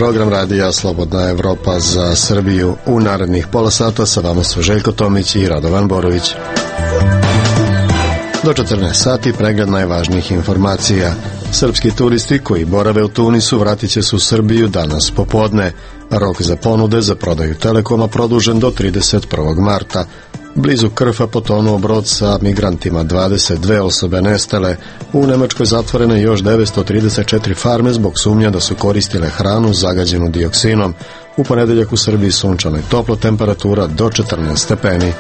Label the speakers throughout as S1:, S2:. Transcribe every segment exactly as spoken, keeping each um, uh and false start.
S1: program radija Slobodna Evropa za Srbiju. U narednih pola sata sa vama su Željko Tomić i Radovan Borović. Do četrnaest sati pregled najvažnijih informacija. Srpski turisti koji borave u Tunisu vratit će se u Srbiju danas popodne. Rok za ponude za prodaju Telekoma produžen do trideset prvog marta. Blizu Krfa potonuo brod sa migrantima, dvadeset dve osobe nestale. U Nemačkoj zatvorene još devetsto trideset četiri farme zbog sumnja da su koristile hranu zagađenu dioksinom. U ponedeljak u Srbiji sunčano i toplo, temperatura do četrnaest stepeni.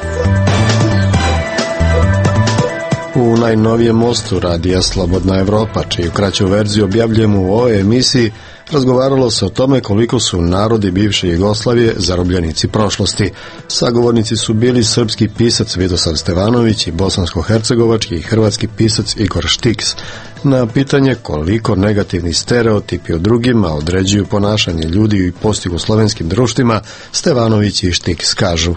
S1: U najnovijem mostu radija Slobodna Evropa, čiju kraću verziju objavljujemo u ovoj emisiji, razgovaralo se o tome koliko su narodi bivše Jugoslavije zarobljenici prošlosti. Sagovornici su bili srpski pisac Vidosav Stevanović i bosansko-hercegovački i hrvatski pisac Igor Štiks. Na pitanje koliko negativni stereotipi o drugima određuju ponašanje ljudi u postjugoslovenskim društvima, Stevanović i Štiks kažu: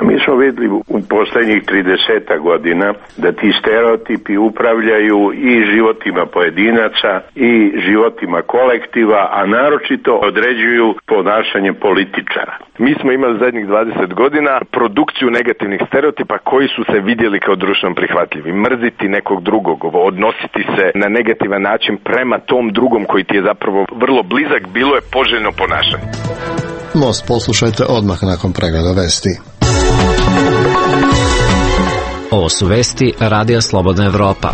S2: Mi smo vidjeli u posljednjih trideset godina da ti stereotipi upravljaju i životima pojedinaca i životima kolektiva, a naročito određuju ponašanje političara.
S3: Mi smo imali zadnjih dvadeset godina produkciju negativnih stereotipa koji su se vidjeli kao društveno prihvatljivi. Mrziti nekog drugog, odnositi se na negativan način prema tom drugom koji ti je zapravo vrlo blizak, bilo je poželjno ponašanje.
S1: Most poslušajte odmah nakon pregleda vesti.
S4: Ovo su vesti Radija Slobodna Evropa.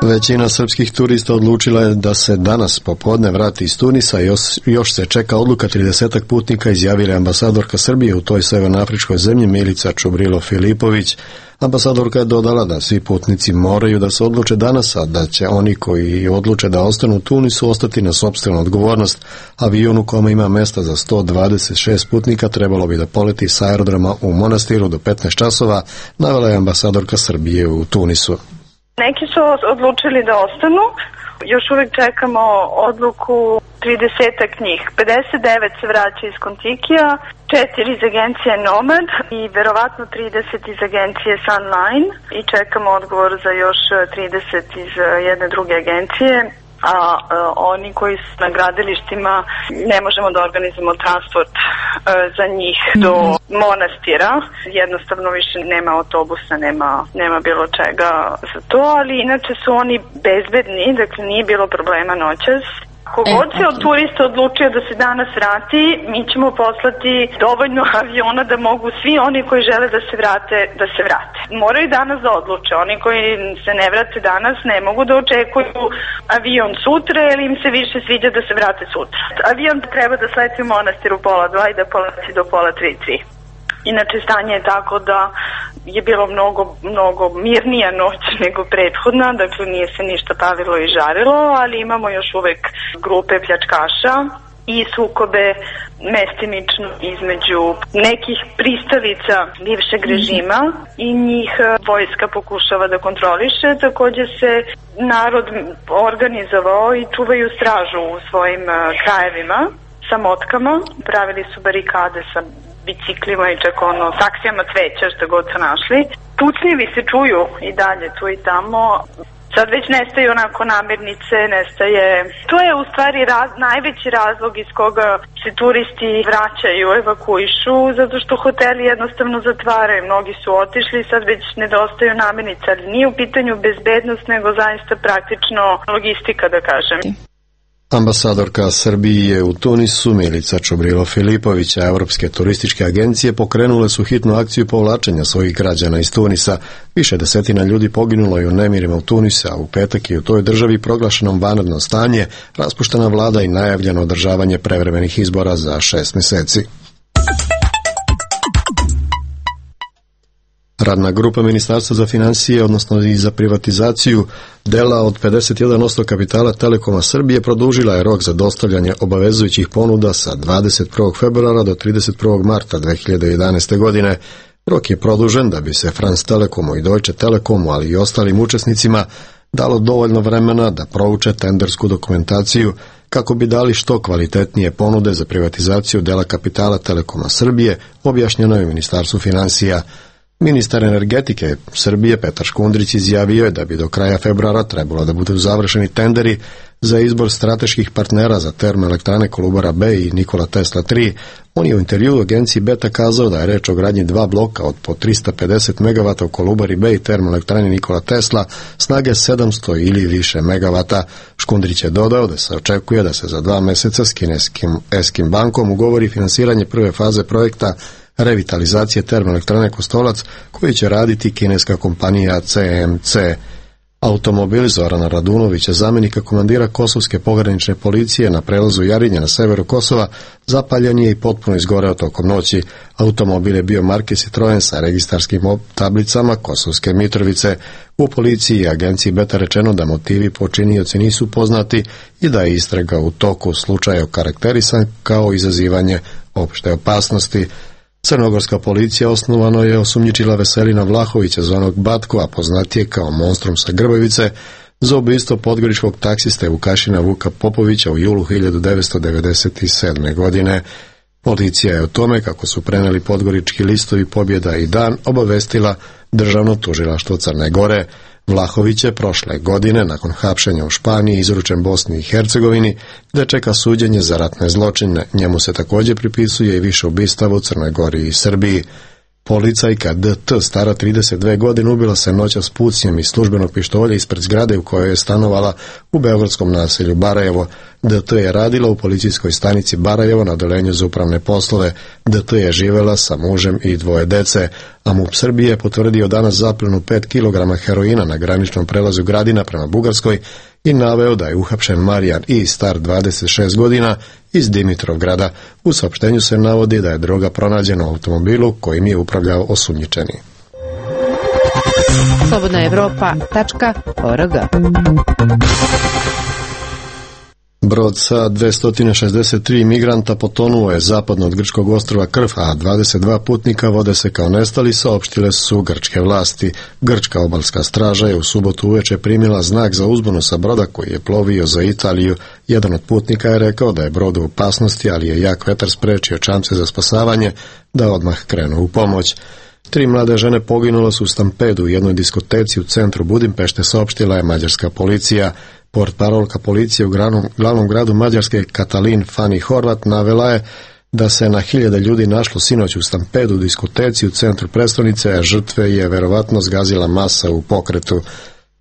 S1: Većina srpskih turista odlučila je da se danas popodne vrati iz Tunisa i još, još se čeka odluka tridesetak putnika, izjavila ambasadorka Srbije u toj severnoafričkoj zemlji Milica Čubrilo Filipović. Ambasadorka je dodala da svi putnici moraju da se odluče danas, a da će oni koji odluče da ostanu u Tunisu ostati na sopstvenu odgovornost. Avion u kome ima mesta za sto dvadeset šest putnika trebalo bi da poleti s aerodroma u Monastiru do petnaest časova, navela je ambasadorka Srbije u Tunisu.
S5: Neki su odlučili da ostanu, još uvijek čekamo odluku tridesetak njih. pedeset devet se vraća iz Kontikija, četiri iz agencije Nomad i verovatno trideset iz agencije Sunline i čekamo odgovor za još trideset iz jedne druge agencije. A, a oni koji su na gradilištima ne možemo da organizujemo transport a, za njih do Monastira. Jednostavno više nema autobusa, nema, nema bilo čega za to, ali inače su oni bezbedni, dakle nije bilo problema noćas. Kogod se od turista odlučio da se danas vrati, mi ćemo poslati dovoljno aviona da mogu svi oni koji žele da se vrate, da se vrate. Moraju danas da odluče. Oni koji se ne vrate danas ne mogu da očekuju avion sutra ili im se više sviđa da se vrate sutra. Avion treba da sleti u Monastiru pola dva i da poleti do pola tri tri. Inače, stanje je tako da je bilo mnogo, mnogo mirnija noć nego prethodna, dakle nije se ništa pavilo i žarilo, ali imamo još uvek grupe pljačkaša i sukobe mestimično između nekih pristalica bivšeg režima i njih vojska pokušava da kontroliše. Također se narod organizovao i čuvaju stražu u svojim krajevima sa motkama, pravili su barikade sa biciklima i čak ono saksijama cveća što god su našli. Pucnjevi se čuju i dalje tu i tamo. Sad već nestaje onako namirnice, nestaje... To je u stvari raz, najveći razlog iz koga se turisti vraćaju, evakuišu, zato što hoteli jednostavno zatvaraju. Mnogi su otišli, sad već nedostaju namirnice, ali nije u pitanju bezbednost, nego zaista praktično logistika, da kažem.
S1: Ambasadorka Srbije u Tunisu Milica Čubrilo Filipović, a Evropske turističke agencije pokrenule su hitnu akciju povlačenja svojih građana iz Tunisa. Više desetina ljudi poginulo je u nemirima u Tunisu, a u petak je u toj državi proglašeno vanredno stanje, raspuštena vlada i najavljeno održavanje prevremenih izbora za šest meseci. Radna grupa Ministarstva za financije, odnosno i za privatizaciju dela od pedeset jedan posto kapitala Telekoma Srbije, produžila je rok za dostavljanje obavezujućih ponuda sa dvadeset prvog februara do trideset prvog marta dve hiljade jedanaeste. godine. Rok je produžen da bi se France Telekomu i Deutsche Telekomu, ali i ostalim učesnicima, dalo dovoljno vremena da prouče tendersku dokumentaciju kako bi dali što kvalitetnije ponude za privatizaciju dela kapitala Telekoma Srbije, objašnjeno je Ministarstvu financija. Ministar energetike Srbije Petar Škundrić izjavio je da bi do kraja februara trebalo da budu završeni tenderi za izbor strateških partnera za termoelektrane Kolubara B i Nikola Tesla tri. On je u intervjuu agenciji Beta kazao da je reč o gradnji dva bloka od po trista pedeset megavata u Kolubari B i termoelektrani Nikola Tesla snage sedamsto ili više megavata. Škundrić je dodao da se očekuje da se za dva meseca s kineskim Eskim bankom ugovori finansiranje prve faze projekta revitalizacije termoelektrane Kostolac, koji će raditi kineska kompanija C M C. Automobil Zorana Radunovića, zamjenika komandira Kosovske pogranične policije na prelazu Jarinje na severu Kosova, zapaljen je i potpuno izgoreo tokom noći. Automobil je bio marke Citroen sa registarskim tablicama Kosovske Mitrovice. U policiji i agenciji Beta rečeno da motivi počinioci nisu poznati i da je istraga u toku. Slučaj je okarakterisan kao izazivanje opšte opasnosti. Crnogorska policija osnovano je osumnjičila Veselina Vlahovića, zvanog Batko, a poznatije kao Monstrum sa Grbavice, za ubistvo podgoričkog taksiste Vukašina Vuka Popovića u julu hiljadu devetsto devedeset sedme. godine. Policija je o tome, kako su preneli podgorički listovi Pobjeda i Dan, obavestila Državno tužilaštvo Crne Gore. Vlahović je prošle godine, nakon hapšenja u Španiji, izručen Bosni i Hercegovini, gde čeka suđenje za ratne zločine. Njemu se također pripisuje i više ubistava u Crnoj Gori i Srbiji. Policajka D T, stara trideset dve godine, ubila se noćas pucnjem iz službenog pištolja ispred zgrade u kojoj je stanovala u beogradskom naselju Barajevo. D T je radila u policijskoj stanici Barajevo na odeljenju za upravne poslove. D T je živela sa mužem i dvoje dece, a MUP Srbije je potvrdio danas zapljenu pet kilograma heroina na graničnom prelazu Gradina prema Bugarskoj i naveo da je uhapšen Marijan I, star dvadeset šest godina, iz Dimitrovgrada. U saopštenju se navodi da je droga pronađena u automobilu kojim je upravljao osumnjičeni.
S6: slobodna evropa tačka org.
S1: Brod sa dvesta šezdeset tri migranta potonuo je zapadno od grčkog ostrva Krf, a dvadeset dva putnika vode se kao nestali, saopštile su grčke vlasti. Grčka obalska straža je u subotu uveče primila znak za uzbunu sa broda koji je plovio za Italiju. Jedan od putnika je rekao da je brod u opasnosti, ali je jak vetar sprečio čamce za spasavanje da odmah krenu u pomoć. Tri mlade žene poginule su u stampedu u jednoj diskoteci u centru Budimpešte, saopštila je mađarska policija. Portparolka policije u glavnom, glavnom gradu Mađarske Katalin Fani Horvat navela je da se na hiljade ljudi našlo sinoć u stampedu u diskoteci u centru prestonice, a žrtve je verovatno zgazila masa u pokretu.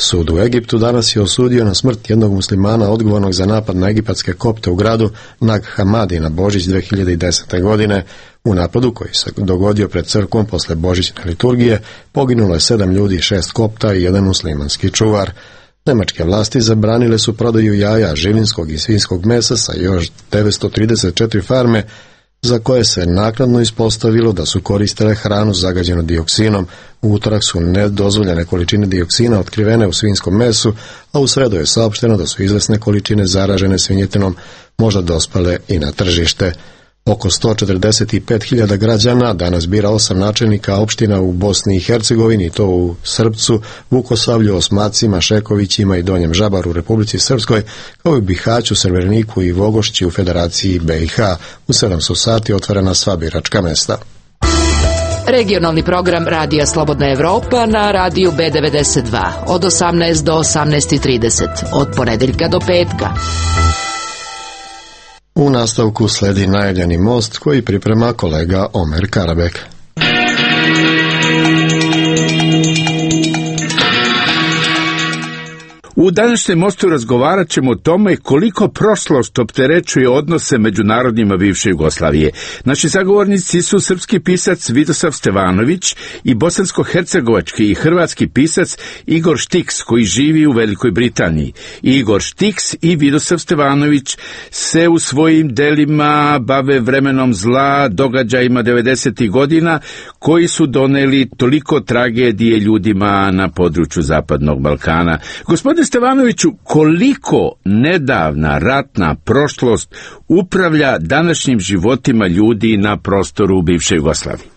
S1: Sud u Egiptu danas je osudio na smrt jednog muslimana odgovornog za napad na egipatske kopte u gradu Nag Hamadi na Božić dve hiljade desete. godine. U napadu koji se dogodio pred crkvom posle božićne liturgije poginulo je sedam ljudi, šest kopta i jedan muslimanski čuvar. Nemačke vlasti zabranile su prodaju jaja, živinskog i svinjskog mesa sa još devetsto trideset četiri farme za koje se naknadno ispostavilo da su koristile hranu zagađenu dioksinom. U utorak su nedozvoljene količine dioksina otkrivene u svinjskom mesu, a u sredu je saopšteno da su izvesne količine zaražene svinjetinom možda dospale i na tržište. Oko sto četrdeset pet hiljada građana danas bira osam načelnika opština u Bosni i Hercegovini, to u Srpcu, Vukosavlju, Osmacima, Šekovićima i Donjem Žabaru u Republici Srpskoj, kao i u Bihaću, Srebreniku i Vogošći u Federaciji B i H. U sedamsto sati otvorena sva biračka mesta.
S6: Regionalni program Radija Slobodna Evropa na radiju B devedeset dva od osamnaest do osamnaest trideset, od ponedeljka do petka.
S1: U nastavku sledi najavljeni most koji priprema kolega Omer Karabek.
S7: U današnjem mostu razgovarat ćemo o tome koliko prošlost opterećuje odnose među narodima bivše Jugoslavije. Naši sagovornici su srpski pisac Vidosav Stevanović i bosansko-hercegovački i hrvatski pisac Igor Štiks, koji živi u Velikoj Britaniji. Igor Štiks i Vidosav Stevanović se u svojim delima bave vremenom zla, događajima devedesetih godina koji su doneli toliko tragedije ljudima na području Zapadnog Balkana. Gospodine Stevanoviću, koliko nedavna ratna prošlost upravlja današnjim životima ljudi na prostoru bivše Jugoslavije?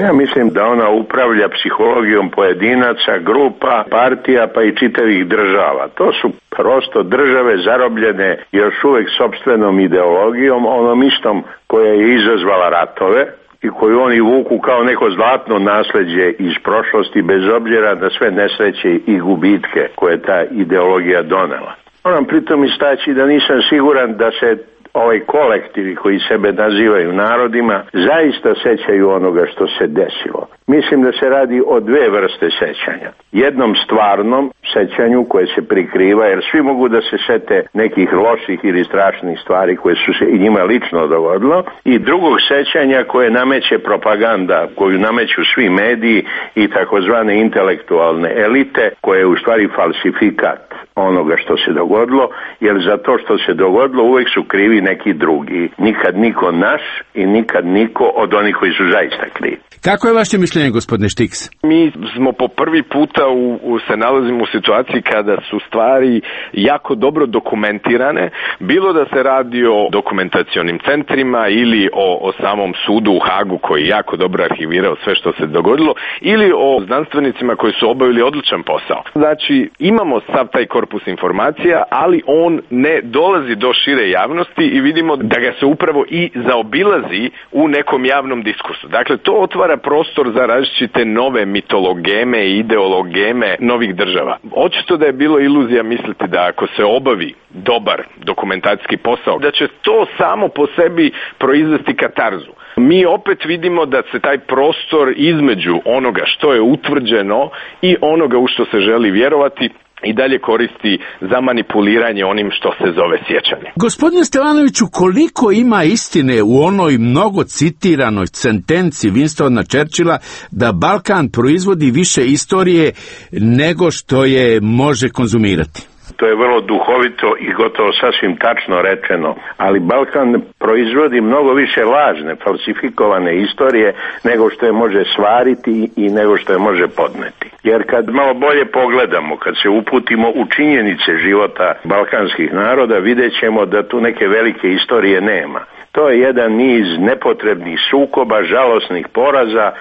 S2: Ja mislim da ona upravlja psihologijom pojedinaca, grupa, partija pa i čitavih država. To su prosto države zarobljene još uvek sopstvenom ideologijom, onom istom koja je izazvala ratove i koju oni vuku kao neko zlatno nasleđe iz prošlosti, bez obzira na sve nesreće i gubitke koje ta ideologija donela. Moram pritom istaći da nisam siguran da se ovaj kolektivi koji sebe nazivaju narodima zaista sećaju onoga što se desilo. Mislim da se radi o dve vrste sećanja. Jednom stvarnom sećanju koje se prikriva, jer svi mogu da se sete nekih loših ili strašnih stvari koje su se i njima lično dogodilo, i drugog sećanja koje nameće propaganda, koju nameću svi mediji i takozvane intelektualne elite, koje je u stvari falsifikat onoga što se dogodilo, jer za to što se dogodilo uvek su krivi neki drugi. Nikad niko naš i nikad niko od onih koji su zaista krivi.
S7: Kako je vaše mišljenje, gospodine Štiks?
S3: Mi smo po prvi puta u, u, se nalazimo u situaciji kada su stvari jako dobro dokumentirane, bilo da se radi o dokumentacionim centrima ili o, o samom sudu u Hagu koji jako dobro arhivirao sve što se dogodilo, ili o znanstvenicima koji su obavili odličan posao. Znači, imamo sav taj korpus informacija, ali on ne dolazi do šire javnosti i vidimo da ga se upravo i zaobilazi u nekom javnom diskursu. Dakle, to otvara prostor za različite nove mitologeme i ideologeme novih država. Očito da je bilo iluzija misliti da ako se obavi dobar dokumentacijski posao, da će to samo po sebi proizvesti katarzu. Mi opet vidimo da se taj prostor između onoga što je utvrđeno i onoga u što se želi vjerovati i dalje koristi za manipuliranje onim što se zove sjećanje.
S7: Gospodine Stevanoviću, koliko ima istine u onoj mnogo citiranoj sentenci Winstona Churchilla da Balkan proizvodi više istorije nego što je može konzumirati?
S2: To je vrlo duhovito i gotovo sasvim tačno rečeno, ali Balkan proizvodi mnogo više lažne, falsifikovane istorije nego što je može svariti i nego što je može podneti. Jer kad malo bolje pogledamo, kad se uputimo u činjenice života balkanskih naroda, vidjet ćemo da tu neke velike istorije nema. To je jedan niz nepotrebnih sukoba, žalosnih poraza,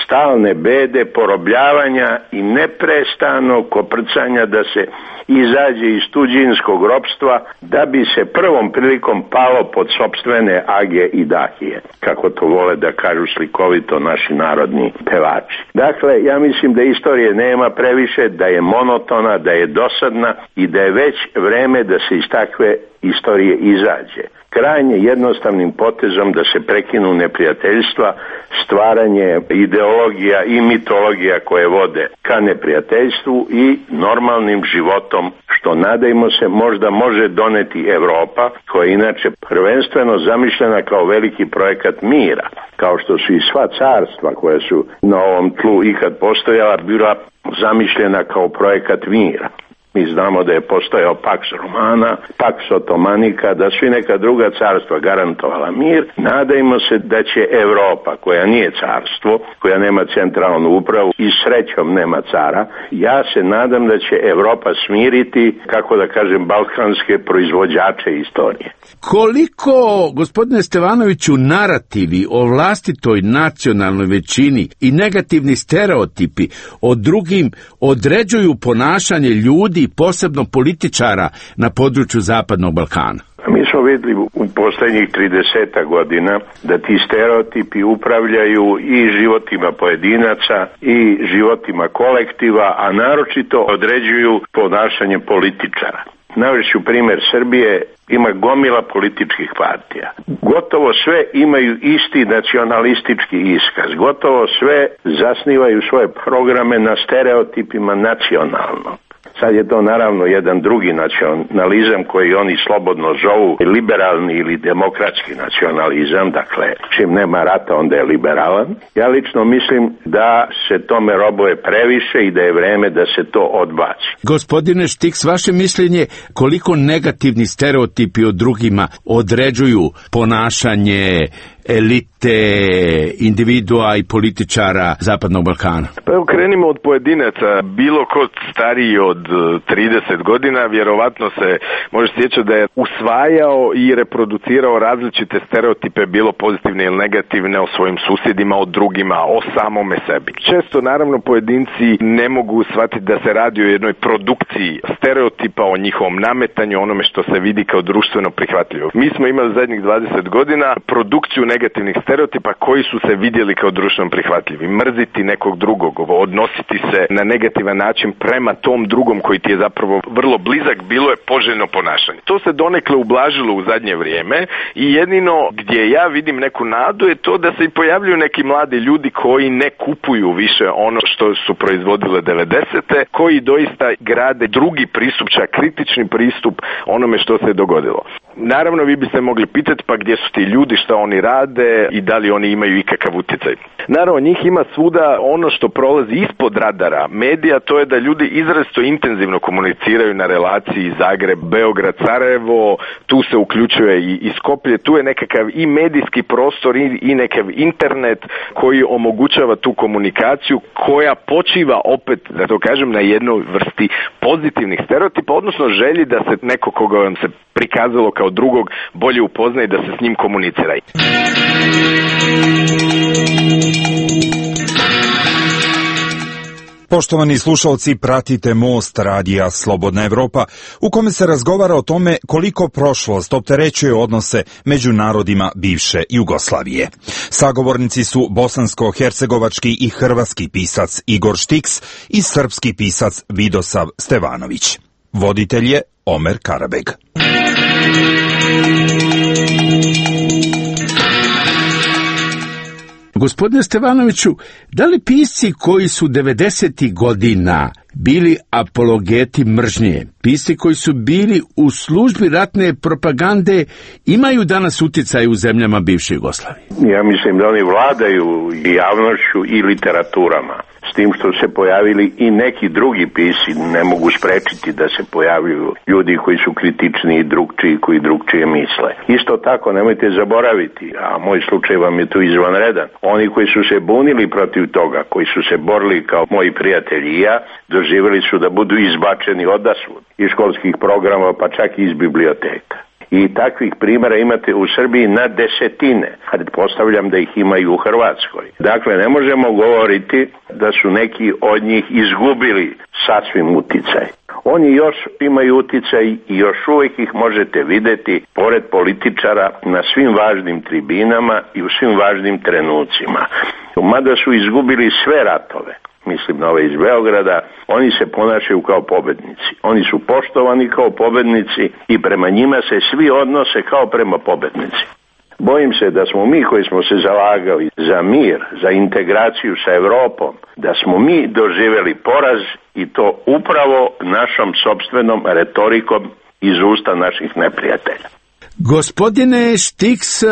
S2: stalne bede, porobljavanja i neprestanog koprcanja da se izađe iz tuđinskog ropstva, da bi se prvom prilikom palo pod sopstvene age i dahije, kako to vole da kažu slikovito naši narodni pevači. Dakle, ja mislim da istorije nema previše, da je monotona, da je dosadna i da je već vreme da se iz takve istorije izađe. Krajnje jednostavnim potezom da se prekinu neprijateljstva, stvaranje ideologija i mitologija koje vode ka neprijateljstvu i normalnim životom, što nadajmo se možda može doneti Evropa, koja je inače prvenstveno zamišljena kao veliki projekat mira, kao što su i sva carstva koja su na ovom tlu ikad postojala bila zamišljena kao projekat mira. Mi znamo da je postojao Pax Romana, Pax Otomanika, da su i neka druga carstva garantovala mir. Nadajmo se da će Evropa, koja nije carstvo, koja nema centralnu upravu i srećom nema cara, ja se nadam da će Evropa smiriti, kako da kažem, balkanske proizvođače istorije.
S7: Koliko, gospodine Stevanoviću, narativi o vlastitoj nacionalnoj većini i negativni stereotipi o drugim određuju ponašanje ljudi, posebno političara, na području Zapadnog Balkana?
S2: Mi smo vidjeli u posljednjih trideset godina da ti stereotipi upravljaju i životima pojedinaca i životima kolektiva, a naročito određuju ponašanje političara. Navešću primjer Srbije, ima gomila političkih partija. Gotovo sve imaju isti nacionalistički iskaz. Gotovo sve zasnivaju svoje programe na stereotipima nacionalnog. Sad je to naravno jedan drugi nacionalizam koji oni slobodno zovu liberalni ili demokratski nacionalizam, dakle čim nema rata onda je liberalan. Ja lično mislim da se tome robuje previše i da je vreme da se to odbaci.
S7: Gospodine Štiks, vaše mišljenje koliko negativni stereotipi o drugima određuju ponašanje elite, individua i političara Zapadnog Balkana?
S3: Pa evo, krenimo od pojedinaca. Bilo ko stariji od trideset godina vjerovatno se može sjećati da je usvajao i reproducirao različite stereotipe, bilo pozitivne ili negativne, o svojim susjedima, o drugima, o samome sebi. Često naravno pojedinci ne mogu shvatiti da se radi o jednoj produkciji stereotipa, o njihovom nametanju, onome što se vidi kao društveno prihvatljivo. Mi smo imali zadnjih dvadeset godina produkciju negativnih stereotipa koji su se vidjeli kao društveno prihvatljivi. Mrziti nekog drugog, odnositi se na negativan način prema tom drugom koji ti je zapravo vrlo blizak, bilo je poželjno ponašanje. To se donekle ublažilo u zadnje vrijeme i jedino gdje ja vidim neku nadu je to da se i pojavljuju neki mladi ljudi koji ne kupuju više ono što su proizvodile devedesete, koji doista grade drugi pristup, čak kritični pristup onome što se je dogodilo. Naravno, vi biste mogli pitati pa gdje su ti ljudi, šta oni rade i da li oni imaju ikakav utjecaj. Naravno, njih ima svuda. Ono što prolazi ispod radara medija, to je da ljudi izrazito intenzivno komuniciraju na relaciji Zagreb, Beograd, Sarajevo, tu se uključuje i, i Skoplje, tu je nekakav i medijski prostor i, i nekav internet koji omogućava tu komunikaciju koja počiva opet, da to kažem, na jednoj vrsti pozitivnih stereotipa, odnosno želji da se neko koga vam se prikazalo kao drugog bolje upozna i da se s njim komunicira.
S8: Poštovani slušalci, pratite Most radija Slobodna Evropa, u kome se razgovara o tome koliko prošlost opterećuje odnose među narodima bivše Jugoslavije. Sagovornici su bosansko-hercegovački i hrvatski pisac Igor Štiks i srpski pisac Vidosav Stevanović. Voditelj je Omer Karabeg.
S7: Gospodine Stevanoviću, da li pisci koji su devedesetih godina bili apologeti mržnje, pisci koji su bili u službi ratne propagande, imaju danas utjecaj u zemljama bivše Jugoslavije?
S2: Ja mislim da oni vladaju i javnošću i literaturama. S tim što se pojavili i neki drugi pisci, ne mogu sprečiti da se pojavljuju ljudi koji su kritični i drugčiji, koji drugčije misle. Isto tako, nemojte zaboraviti, a moj slučaj vam je tu izvanredan, oni koji su se bunili protiv toga, koji su se borili kao moji prijatelji i ja, doživjeli su da budu izbačeni odasvud iz školskih programa, pa čak i iz biblioteka. I takvih primjera imate u Srbiji na desetine, a postavljam da ih ima i u Hrvatskoj. Dakle, ne možemo govoriti da su neki od njih izgubili sasvim uticaj. Oni još imaju uticaj i još uvijek ih možete vidjeti pored političara na svim važnim tribinama i u svim važnim trenucima. Mada su izgubili sve ratove, mislim na ove iz Beograda, oni se ponašaju kao pobednici. Oni su poštovani kao pobednici i prema njima se svi odnose kao prema pobednici. Bojim se da smo mi koji smo se zalagali za mir, za integraciju sa Evropom, da smo mi doživjeli poraz i to upravo našom sopstvenom retorikom iz usta naših neprijatelja.
S7: Gospodine Štiks,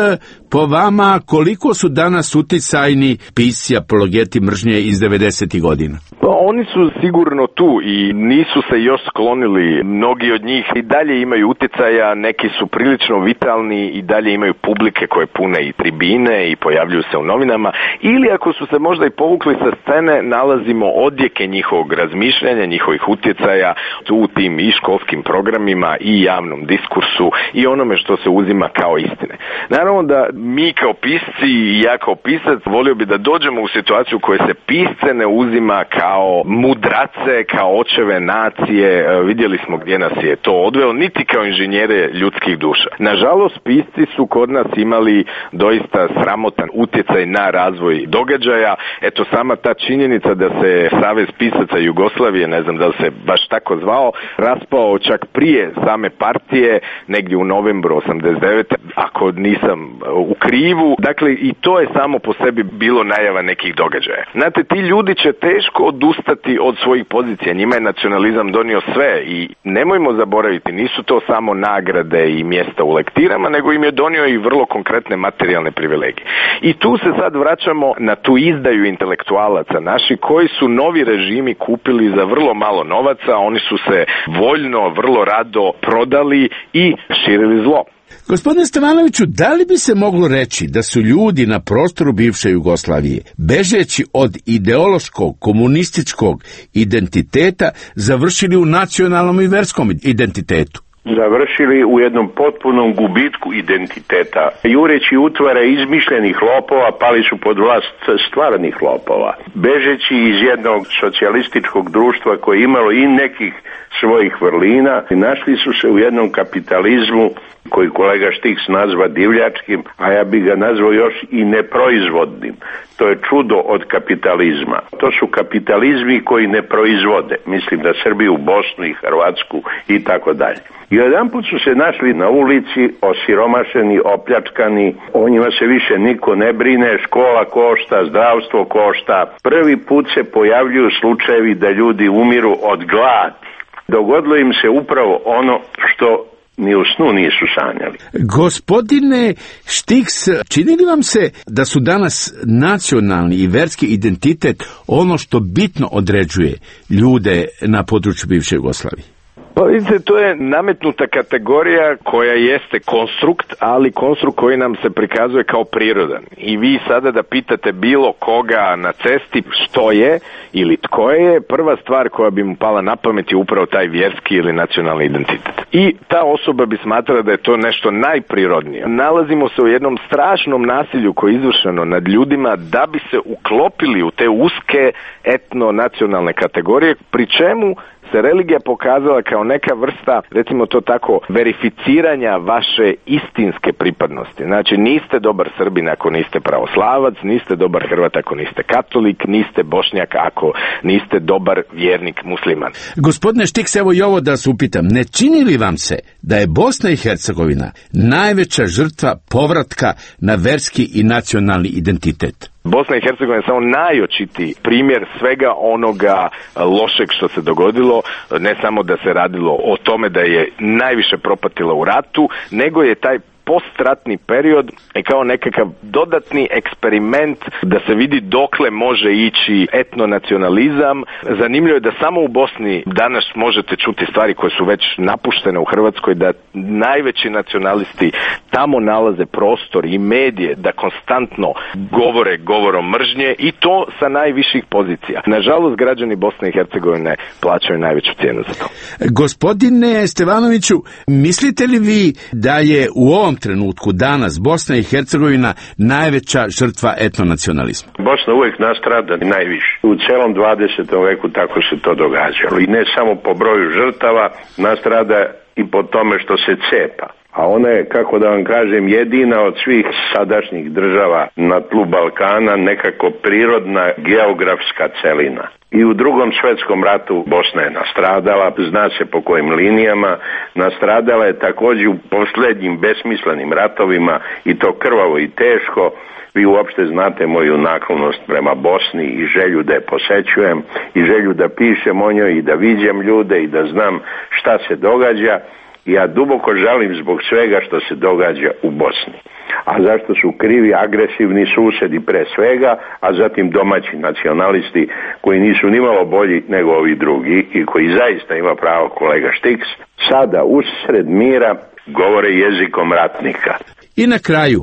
S7: po vama koliko su danas uticajni pisci apologeti mržnje iz devedesetih godina?
S3: Oni su sigurno tu i nisu se još sklonili. Mnogi od njih i dalje imaju utjecaja, neki su prilično vitalni i dalje imaju publike koje pune i tribine i pojavljuju se u novinama. Ili ako su se možda i povukli sa scene, nalazimo odjeke njihovog razmišljanja, njihovih utjecaja u tim i školskim programima i javnom diskursu i onome što se uzima kao istine. Naravno da mi kao pisci i ja kao pisac volio bi da dođemo u situaciju u kojoj se pisce ne uzima kao mudrace, kao očeve nacije, vidjeli smo gdje nas je to odvelo, niti kao inženjere ljudskih duša. Nažalost, pisci su kod nas imali doista sramotan utjecaj na razvoj događaja. Eto, sama ta činjenica da se Savez pisaca Jugoslavije, ne znam da li se baš tako zvao, raspao čak prije same partije, negdje u novembru osamdeset devete ako nisam u krivu. Dakle, i to je samo po sebi bilo najava nekih događaja. Znate, ti ljudi će teško odustati od svojih pozicija. Njima je nacionalizam donio sve i nemojmo zaboraviti, nisu to samo nagrade i mjesta u lektirama, nego im je donio i vrlo konkretne materijalne privilegije. I tu se sad vraćamo na tu izdaju intelektualaca naši koji su novi režimi kupili za vrlo malo novaca, oni su se voljno, vrlo rado prodali i širili zlo.
S7: Gospodine Stevanoviću, da li bi se moglo reći da su ljudi na prostoru bivše Jugoslavije, bežeći od ideološkog, komunističkog identiteta, završili u nacionalnom i verskom identitetu?
S2: Završili u jednom potpunom gubitku identiteta. Jureći utvare izmišljenih lopova, pali su pod vlast stvarnih lopova. Bežeći iz jednog socijalističkog društva koje je imalo i nekih svojih vrlina, našli su se u jednom kapitalizmu koji kolega Štiks nazva divljačkim, a ja bih ga nazvao još i neproizvodnim. To je čudo od kapitalizma. To su kapitalizmi koji ne proizvode. Mislim da Srbiju, Bosnu i Hrvatsku i tako dalje. I jedanput su se našli na ulici, osiromašeni, opljačkani, o njima se više niko ne brine, škola košta, zdravstvo košta. Prvi put se pojavljuju slučajevi da ljudi umiru od gladi. Dogodilo im se upravo ono što ni u snu nisu sanjali.
S7: Gospodine Štiks, čini li vam se da su danas nacionalni i verski identitet ono što bitno određuje ljude na području bivše Jugoslavije?
S3: Pa vidite, to je nametnuta kategorija koja jeste konstrukt, ali konstrukt koji nam se prikazuje kao prirodan. I vi sada da pitate bilo koga na cesti što je ili tko je, prva stvar koja bi mu pala na pamet je upravo taj vjerski ili nacionalni identitet. I ta osoba bi smatrala da je to nešto najprirodnije. Nalazimo se u jednom strašnom nasilju koje je izvršeno nad ljudima da bi se uklopili u te uske etno-nacionalne kategorije, pri čemu se religija pokazala kao neka vrsta, recimo to tako, verificiranja vaše istinske pripadnosti. Znači, niste dobar Srbin ako niste pravoslavac, niste dobar Hrvat ako niste katolik, niste Bošnjak ako niste dobar vjernik musliman.
S7: Gospodine Štiks, evo i ovo da se upitam, ne čini li vam se da je Bosna i Hercegovina najveća žrtva povratka na verski i nacionalni identitet?
S3: Bosna i Hercegovina je samo najočitiji primjer svega onoga lošeg što se dogodilo, ne samo da se radilo o tome da je najviše propatila u ratu, nego je taj postratni period i kao nekakav dodatni eksperiment da se vidi dokle može ići etnonacionalizam. Zanimljivo je da samo u Bosni danas možete čuti stvari koje su već napuštene u Hrvatskoj, da najveći nacionalisti tamo nalaze prostor i medije da konstantno govore govorom mržnje i to sa najviših pozicija. Nažalost, građani Bosne i Hercegovine plaćaju najveću cijenu za to.
S7: Gospodine Stevanoviću, mislite li vi da je u ovom trenutku danas Bosna i Hercegovina najveća žrtva etnonacionalizma?
S2: Bosna uvijek nastrada najviše. U celom dvadesetom veku tako se to događalo. I ne samo po broju žrtava, nastrada i po tome što se cepa. A ona je, kako da vam kažem, jedina od svih sadašnjih država na tlu Balkana nekako prirodna geografska celina. I u drugom svjetskom ratu Bosna je nastradala, zna se po kojim linijama, nastradala je također u posljednjim besmislenim ratovima i to krvavo i teško. Vi uopšte znate moju naklonost prema Bosni i želju da je posećujem i želju da pišem o njoj i da viđem ljude i da znam šta se događa. Ja duboko žalim zbog svega što se događa u Bosni. A zašto su krivi agresivni susjedi pre svega, a zatim domaći nacionalisti koji nisu nimalo bolji nego ovi drugi i koji zaista ima pravo kolega Štiks, sada usred mira govore jezikom ratnika.
S7: I na kraju,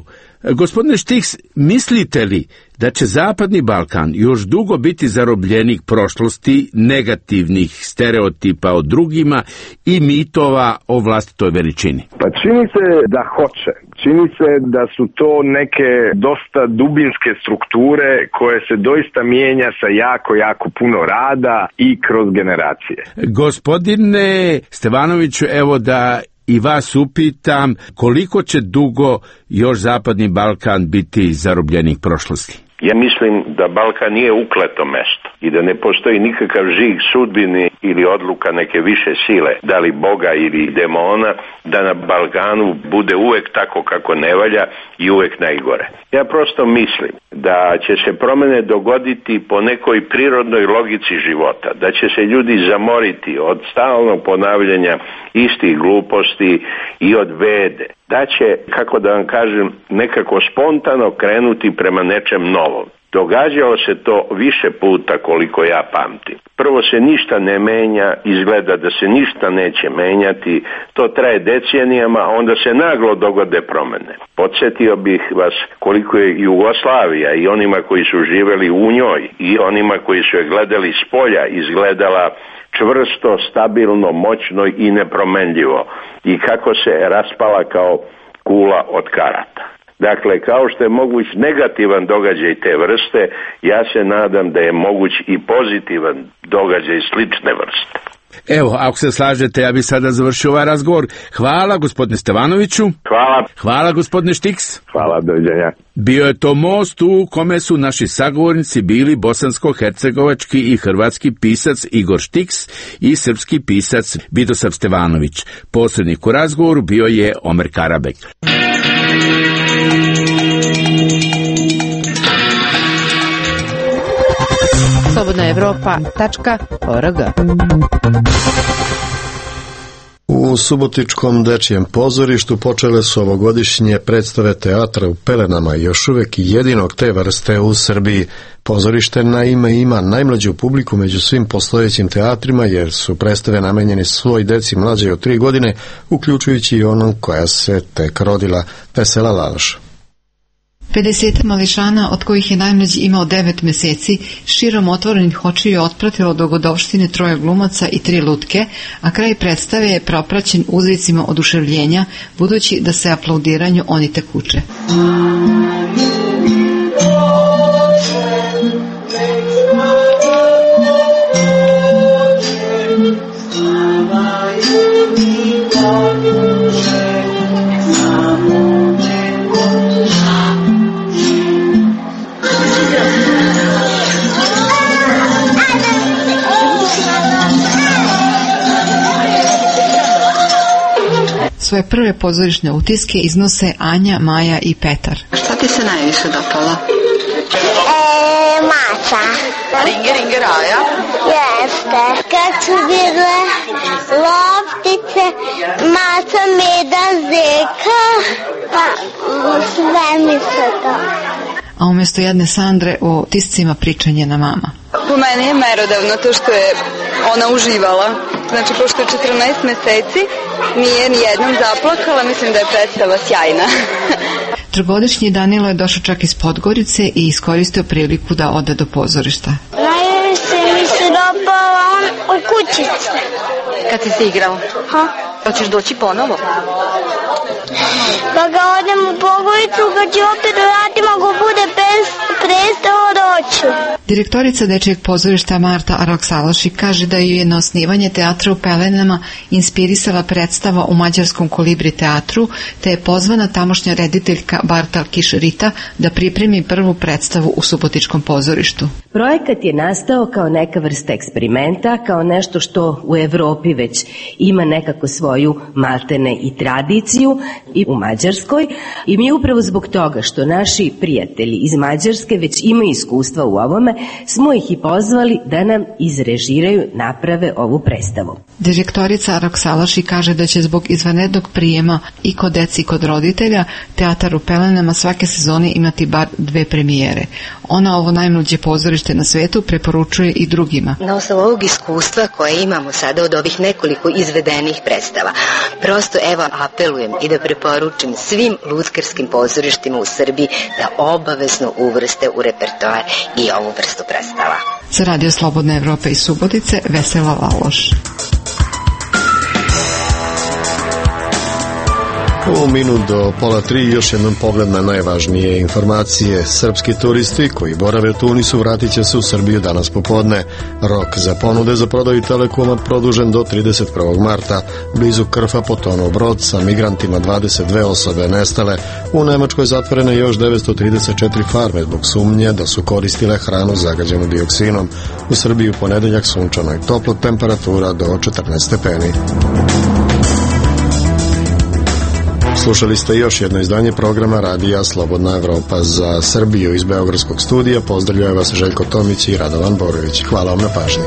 S7: gospodine Štiks, mislite li da će Zapadni Balkan još dugo biti zarobljenik prošlosti, negativnih stereotipa o drugima i mitova o vlastitoj veličini?
S3: Pa čini se da hoće. Čini se da su to neke dosta dubinske strukture koje se doista mijenja sa jako, jako puno rada i kroz generacije.
S7: Gospodine Stevanoviću, evo da i vas upitam, koliko će dugo još Zapadni Balkan biti zarobljenik prošlosti?
S2: Ja mislim da Balkan nije ukleto mesto i da ne postoji nikakav žig sudbini ili odluka neke više sile, da li Boga ili demona, da na Balkanu bude uvek tako kako ne valja i uvek najgore. Ja prosto mislim da će se promjene dogoditi po nekoj prirodnoj logici života, da će se ljudi zamoriti od stalnog ponavljanja istih gluposti i od bede, da će, kako da vam kažem, nekako spontano krenuti prema nečem novom. Događalo se to više puta koliko ja pamtim. Prvo se ništa ne menja, izgleda da se ništa neće menjati, to traje decenijama, onda se naglo dogode promjene. Podsjetio bih vas koliko je Jugoslavija i onima koji su živjeli u njoj i onima koji su je gledali s polja izgledala čvrsto, stabilno, moćno i nepromenljivo i kako se raspala kao kula od karata. Dakle, kao što je moguć negativan događaj te vrste, ja se nadam da je moguć i pozitivan događaj slične vrste.
S7: Evo, ako se slažete, ja bih sada završio ovaj razgovor. Hvala gospodine Stevanoviću.
S3: Hvala.
S7: Hvala gospodine Štiks.
S3: Hvala, doviđenja.
S7: Bio je to most u kome su naši sagovornici bili bosansko-hercegovački i hrvatski pisac Igor Štiks i srpski pisac Vidosav Stevanović. Posrednik u razgovoru bio je Omer Karabek.
S6: slobodna evropa tačka org.
S1: U Subotičkom dečijem pozorištu počele su ovogodišnje predstave teatra u pelenama, još uvek jedinog te vrste u Srbiji. Pozorište naime ima najmlađu publiku među svim postojećim teatrima, jer su predstave namenjene svoj deci mlađe od tri godine, uključujući i onom koja se tek rodila. Vesela Laloš.
S9: pedeset mališana, od kojih je najmlađi imao devet meseci, širom otvorenih očiju otpratilo dogodovštine troje glumaca i tri lutke, a kraj predstave je propraćen uzvicima oduševljenja, budući da se aplaudiranju oni tek uče. Svoje prve pozorišne utiske iznose Anja, Maja i Petar.
S10: Šta ti se najviše dopalo?
S11: E, maca.
S10: Ringe, ringe, raja?
S11: Jeste. Kad su bile loptice, maca, meda, zeka, pa sve mi se to.
S9: A umjesto jedne Sandre o tiscima pričanje na mama.
S12: Po meni je merodavno to što je ona uživala. Znači, pošto je četrnaest meseci, nije ni jednom zaplakala, mislim da je predstava sjajna.
S9: Trogodišnji Danilo je došao čak iz Podgorice i iskoristio priliku da ode do pozorišta.
S11: Najviše mi se dopala on u kućici.
S10: Kad si se igrao?
S11: Ha?
S10: Hoćeš doći ponovo?
S11: Pa ga odem u Podgoricu, kad će opet vratim, ako bude prestao doću.
S9: Direktorica dečijeg pozorišta Marta Araksalaši kaže da ju je na osnivanje teatra u pelenama inspirisala predstava u mađarskom Kolibri teatru, te je pozvana tamošnja rediteljka Bartal Kiš-Rita da pripremi prvu predstavu u Subotičkom pozorištu.
S13: Projekat je nastao kao neka vrsta eksperimenta, kao nešto što u Evropi već ima nekako svoju maltene i tradiciju i u Mađarskoj, i mi upravo zbog toga što naši prijatelji iz Mađarske već imaju iskustva u ovome, smo ih i pozvali da nam izrežiraju, naprave ovu predstavu.
S9: Direktorica Araksalaši kaže da će zbog izvanrednog prijema i kod deci i kod roditelja teatar u pelenama svake sezone imati bar dve premijere. Ona ovo najmlađe pozorište na svetu preporučuje i drugima.
S14: Na osnovu ovog iskustva koje imamo sada od ovih nekoliko izvedenih predstava, prosto evo apelujem i da preporučim svim lutkarskim pozorištima u Srbiji da obavezno uvrste u repertoar i ovu vrstu predstava.
S9: Za Radio Slobodne Evrope iz Subotice, Vesela Laloš.
S1: U minut do pola tri još jednom pogled na najvažnije informacije. Srpski turisti koji borave u Tunisu vratit će se u Srbiju danas popodne. Rok za ponude za prodaju Telekoma produžen do trideset prvog marta. Blizu Krfa potonuo brod sa migrantima, dvadeset dve osobe nestale. U Nemačkoj zatvorene još devetsto trideset četiri farme zbog sumnje da su koristile hranu zagađenu dioksinom. U Srbiji u ponedeljak sunčano i toplo, temperatura do četrnaest stepeni. Slušali ste još jedno izdanje programa Radija Slobodna Evropa. Za Srbiju iz Beogradskog studija pozdravljaju vas Željko Tomić i Radovan Borović. Hvala vam na pažnji.